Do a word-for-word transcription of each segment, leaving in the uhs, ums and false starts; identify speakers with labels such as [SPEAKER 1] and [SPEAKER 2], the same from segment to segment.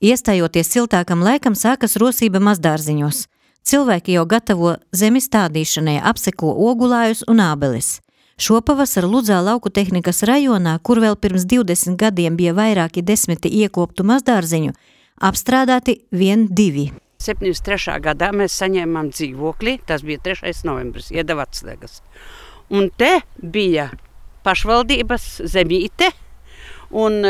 [SPEAKER 1] Iestājoties siltākam laikam, sākas rosība mazdārziņos. Cilvēki jau gatavo zemi stādīšanai, apseko ogulājus un ābeles. Šopavasar Ludzā lauku tehnikas rajonā, kur vēl pirms divdesmit gadiem bija vairāki desmiti iekoptu mazdārziņu, apstrādāti vien divi.
[SPEAKER 2] septiņdesmit trešā gadā mēs saņēmām dzīvokli, tas bija trešais novembris, iedeva atslēgas. Un te bija pašvaldības zemīte, un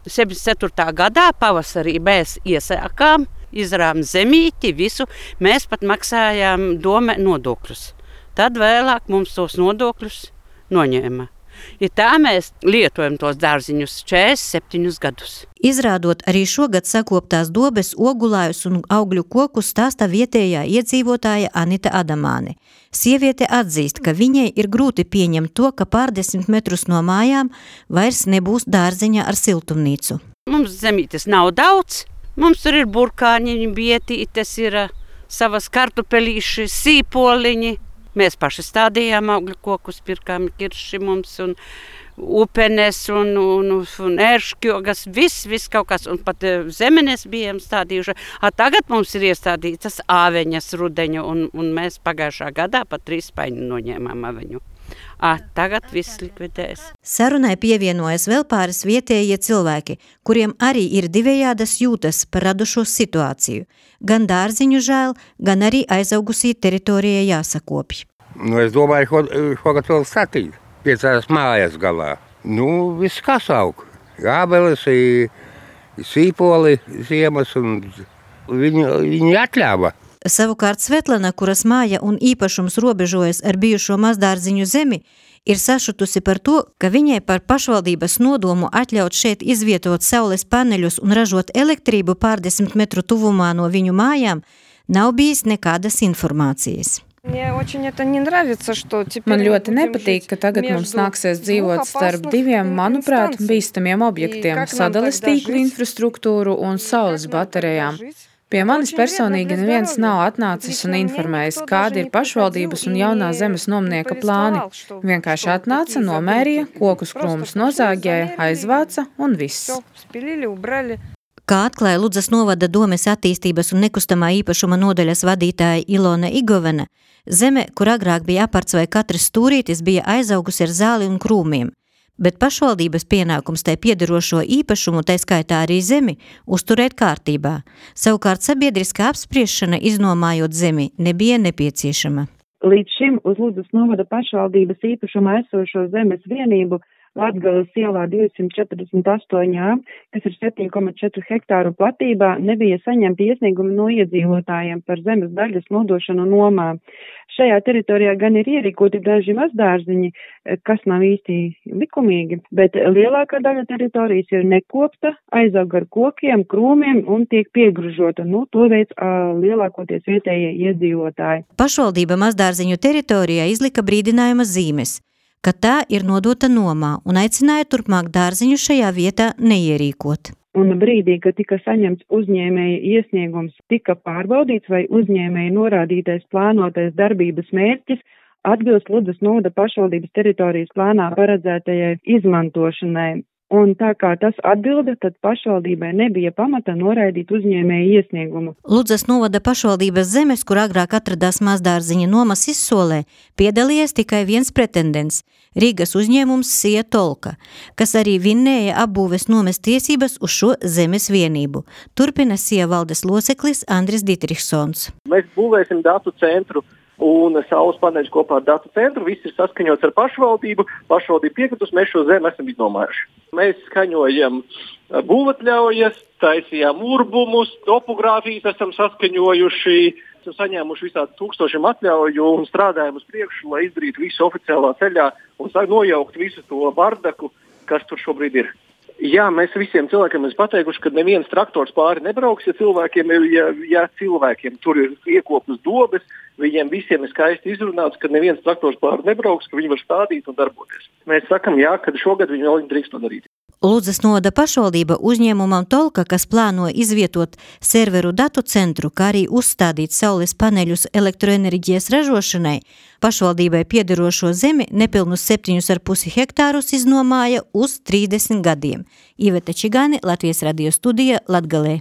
[SPEAKER 2] septiņdesmit ceturtā gadā pavasarī mēs iesākām, izrām zemīti, visu, mēs pat maksājām dome nodokļus. Tad vēlāk mums tos nodokļus noņēma. Ja tā mēs lietojam tos dārziņus četrdesmit septiņus gadus.
[SPEAKER 1] Izrādot arī šogad sakoptās dobes, ogulājus un augļu kokus, stāsta vietējā iedzīvotāja Anita Adamāne. Sieviete atzīst, ka viņai ir grūti pieņemt to, ka pārdesmit metrus no mājām vairs nebūs dārziņa ar siltumnīcu.
[SPEAKER 2] Mums zemītes nav daudz, mums tur ir burkāņiņi, bietītes, ir savas kartupelīši, sīpoliņi. Mēs paši stādījām augļu kokus, pirkām kirši mums un upenes un, un, un ērškjogas, viss, viss kaut kas, un pat zemenes bijām stādījuši. A, tagad mums ir iestādītas āveņas rudeņu, un, un mēs pagājušā gadā pat trīs paņu noņēmām aveņu. A, tagad viss likvidēs.
[SPEAKER 1] Sarunai pievienojas vēl pāris vietējie cilvēki, kuriem arī ir divējādas jūtas par radušo situāciju. Gan dārziņu žēl, gan arī aizaugusī teritorijai jāsakopj.
[SPEAKER 3] Nu, es domāju, ko, šogad vēl statīt, piecās mājas galā. Nu, viss kas aug. Ābeles, sīpoli, ziemas, un viņi, viņi atļāva.
[SPEAKER 1] Savukārt Svetlana, kuras māja un īpašums robežojas ar bijušo mazdārziņu zemi, ir sašutusi par to, ka viņai par pašvaldības nodomu atļaut šeit izvietot saules paneļus un ražot elektrību pārdesmit metru tuvumā no viņu mājām, nav bijis nekādas informācijas.
[SPEAKER 4] Man ļoti nepatīk, ka tagad mums nāksies dzīvot starp diviem, manuprāt, bīstamiem objektiem – sadales tīklu infrastruktūru un saules baterijām. Pie manis personīgi neviens nav atnācis un informējis, kādi ir pašvaldības un jaunā zemes nomnieka plāni. Vienkārši atnāca, nomērīja, kokus krūmus nozāģēja, aizvāca un viss.
[SPEAKER 1] Kā atklāja Ludzas novada domes attīstības un nekustamā īpašuma nodaļas vadītāja Ilona Igovena, zeme, kur agrāk bija aparts vai katrs stūrītis, bija aizaugusi ar zāli un krūmiem. Bet pašvaldības pienākums tai piederošo īpašumu, tai skaitā arī zemi, uzturēt kārtībā. Savukārt sabiedriskā apspriešana, iznomājot zemi, nebija nepieciešama.
[SPEAKER 5] Līdz šim uz Ludzas novada pašvaldības īpašumā esošo zemes vienību Latgales ielā divsimt četrdesmit astoņi A, kas ir septiņi komats četri hektāru platībā, nebija saņemti iesniegumi no iedzīvotājiem par zemes daļas nodošanu nomā. Šajā teritorijā gan ir ierīkoti daži mazdārziņi, kas nav īsti likumīgi, bet lielākā daļa teritorijas ir nekopta, aizaug ar kokiem, krūmiem un tiek piegružota. Nu, to veids uh, lielākoties vietējie iedzīvotāji.
[SPEAKER 1] Pašvaldība mazdārziņu teritorijā izlika brīdinājuma zīmes, ka tā ir nodota nomā un aicināja turpmāk dārziņu šajā vietā neierīkot.
[SPEAKER 5] Un brīdī, kad tika saņemts uzņēmēja iesniegums, tika pārbaudīts, vai uzņēmēja norādītais plānotais darbības mērķis atbilst Ludzas novada pašvaldības teritorijas plānā paredzētajai izmantošanai. Un tā kā tas atbilda, tad pašvaldībai nebija pamata noraidīt uzņēmēju iesniegumu.
[SPEAKER 1] Ludzas novada pašvaldības zemes, kur agrāk atradās mazdārziņa nomas izsolē, piedalījies tikai viens pretendents – Rīgas uzņēmums Sija Tolka, kas arī vinnēja apbūves nomes tiesības uz šo zemes vienību. Turpina Sija valdes loceklis Andris Ditrihsons.
[SPEAKER 6] Mēs būvēsim datu centru un saules paneļus kopā ar datu centru. Viss ir saskaņots ar pašvaldību. Pašvaldība piekritus, mēs šo zemi esam iznomājuši. Mēs skaņojam būvatļaujas, taisījām urbumus, topogrāfijas esam saskaņojuši, esam saņēmuši visādi tūkstošiem atļauju un strādājam uz priekšu, lai izdarītu visu oficiālā ceļā un nojaukt visu to bardaku, kas tur šobrīd ir. Jā, mēs visiem cilvēkiem esam pateikuši, ka neviens traktors pāri nebrauks, ja cilvēkiem, ja, ja cilvēkiem tur ir iekoptas dobes, viņiem visiem ir skaisti izrunāts, ka neviens traktors pāri nebrauks, ka viņi var stādīt un darboties. Mēs sakam, jā, ka šogad viņi vēl drīkst to darīt.
[SPEAKER 1] Ludzas novada pašvaldība uzņēmumam Tolka, kas plāno izvietot serveru datu centru, kā arī uzstādīt saules paneļus elektroenerģijas ražošanai, pašvaldībai piederošo zemi nepilnus septiņus ar pusi hektārus iznomāja uz trīsdesmit gadiem. Iveta Čigāne, Latvijas radio studija, Latgalē.